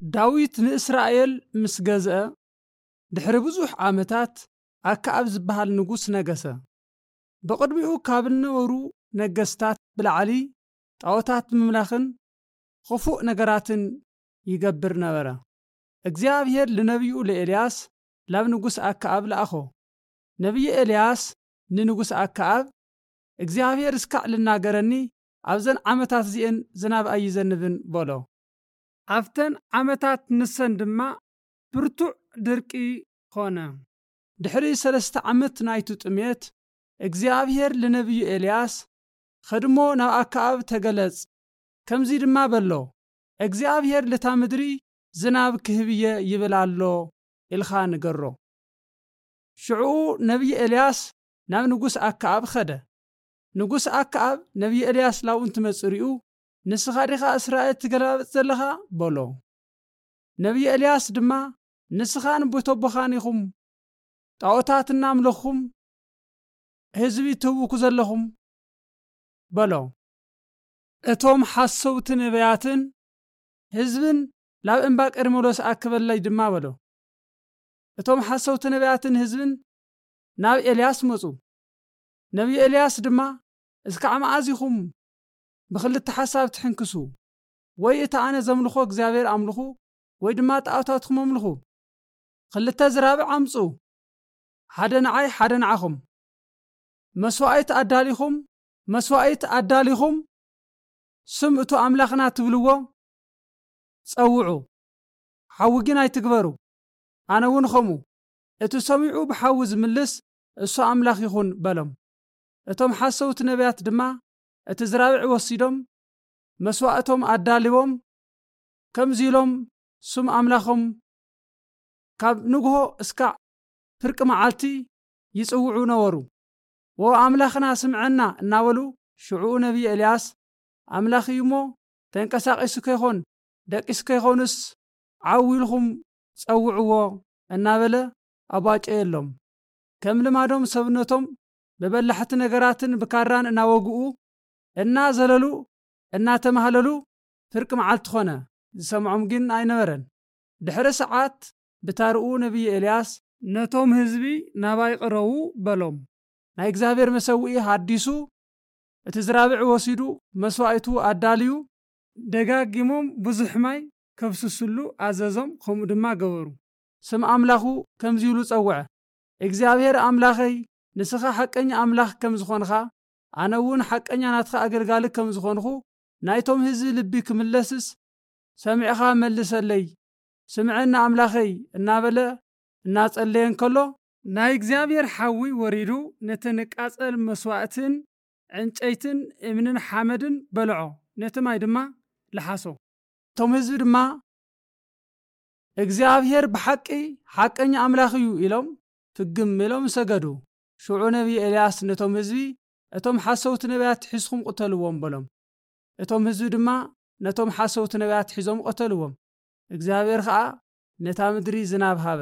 ዳዊት ንእስራኤል ምስ ገዝአ፣ ድሕሪ ብዙሕ ዓመታት ኣከኣብ ዝበሃል ንጉስ ነገሰ። ብቕድሚኡ ካብ እነበሩ ነገስታት ብላዕሊ ጣዖታት ምምላኽን ኽፉእ ነገራትን ይገብር ነበረ። እግዚኣብሔር ልነቢዩ ለኤልያስ ላብ ንጉስ ኣከኣብ ለኣኾ። ነቢይ ኤልያስ ንንጉስ ኣከኣብ፣ እግዚኣብሔር እስካዕ ልናገረኒ፣ ኣብዘን ዓመታት እዚኤን ዝናብ ኣይዘንብን በሎ። ኣብተን ዓመታት ንሰን ድማ ብርቱዕ ድርቂ ኾነ። ድሕሪ ሰለስተ ዓመት ናይቱ ጥሜት፣ እግዚኣብሔር ልነቢዩ ኤልያስ፣ ኸድሞ ናብ ኣከኣብ ተገለጽ፣ ከምዚ ድማ በሎ፣ እግዚኣብሔር ልታ ምድሪ ዝናብ ክህብየ ይብል ኣሎ ኢልኻ ንገሮ። ሽዑኡ ነቢይ ኤልያስ ናብ ንጉስ ኣከኣብ ኸደ። ንጉስ ኣከኣብ ነቢይ ኤልያስ ላብኡ እንትመጽእ ሪኡ፣ "ንስኻ ዲኻ እስራኤል ትገለባብጥ ዘለኻ?" በሎ። ነቢይ ኤልያስ ድማ፣ "ንስኻን ቤተቦኻን ኢኹም ጣዖታት እናምለኽኹም ህዝቢ ትህውኩ ዘለኹም" በሎ። እቶም ሓሰውቲ ነቢያትን ህዝብን ላብ እምባ ቀርሜሎስ ኣክበለይ ድማ በሎ። እቶም ሓሰውቲ ነቢያትን ህዝብን ናብ ኤልያስ መጹ። ነቢይ ኤልያስ ድማ፣ "እስካዕ መኣዝ ኢኹም ብኽልተ ሓሳብ ትሕንክሱ? ወይ እቲ ኣነ ዘምልኾ እግዚኣብሔር ኣምልኹ፣ ወይ ድማ ጣዖታትኩም ኣምልኹ። ክልተ ዝራብዕ ኣምጹ፣ ሓደ ንዓይ፣ ሓደ ንዓኹም። መስዋእቲ ኣዳሊኹም፣ መስዋእቲ ኣዳሊኹም፣ ስም እቱ ኣምላኽና ትብልዎ ጸውዑ፣ ሓዊ ግን ኣይትግበሩ። ኣነ እውን ኸምኡ፣ እቲ ሰሚዑ ብሓዊ ዝምልስ እሱ ኣምላኽ ይኹን" በሎም። እቶም ሓሰውቲ ነቢያት ድማ እቲ ዝራብዕ ወሲዶም፣ መስዋእቶም ኣዳልዎም፣ ከምዚ ኢሎም ስም ኣምላኾም ካብ ንግሆ እስካዕ ፍርቂ መዓልቲ ይጽውዑ ነበሩ። "ዎ ኣምላኽና ስምዐና" እናበሉ፣ ሽዑኡ ነቢይ ኤልያስ፣ "ኣምላኽ እዩ እሞ ተንቀሳቒሱ ከይኾን ደቂሱ ከይኾንስ ዓው ኢልኹም ጸውዕዎ" እናበለ ኣቧጨየሎም። ከም ልማዶም ሰብነቶም ብበላሕቲ ነገራትን ብካራን እናወግኡ፣ እናዘለሉ፣ እናተማህለሉ ፍርቂ መዓልቲ ኾነ። ዝሰምዖም ግን ኣይነበረን። ድሕሪ ሰዓት ብታርኡ ነቢይ ኤልያስ፣ "ነቶም ህዝቢ ናባይ ቅረቡ" በሎም። ናይ እግዚኣብሔር መሰውኢ ሃዲሱ፣ እቲ ዝራብዕ ወሲዱ መስዋእቱ ኣዳልዩ፣ ደጋጊሞም ብዙሕ ማይ ከፍስስሉ ኣዘዞም፣ ከምኡ ድማ ገበሩ። ስም ኣምላኹ ከምዚ ኢሉ ጸውዐ፣ "እግዚኣብሔር ኣምላኸይ፣ ንስኻ ሓቀኛ ኣምላኽ ከም ዝኾንኻ፣ ኣነ እውን ሓቀኛ ናትኻ ኣገልጋሊ ከም ዝኾንኹ፣ ናይቶም ህዝቢ ልቢ ክምለስስ ሰሚዕኻ መልሰለይ፣ ስምዐኒ ኣምላኸይ" እናበለ እናጸለየ እንከሎ፣ ናይ እግዚኣብሔር ሓዊ ወሪዱ ነቲ ንቃጸል መስዋእትን ዕንጨይትን እምንን ሓመድን በልዖ፣ ነቲ ማይ ድማ ለሓሶ። እቶም ህዝቢ ድማ፣ "እግዚኣብሔር ብሓቂ ሓቀኛ ኣምላኽ እዩ" ኢሎም ፍግም ኢሎም ሰገዱ። ሽዑ ነቢይ ኤልያስ ነቶም ህዝቢ፣ "እቶም ሓሰውቲ ነቢያት ሒዝኩም ቅተልዎም" በሎም። እቶም ህዝቢ ድማ ነቶም ሓሰውቲ ነቢያት ሒዞም ቀተልዎም። እግዚኣብሔር ኸኣ ነታ ምድሪ ዝናብ ሃበ።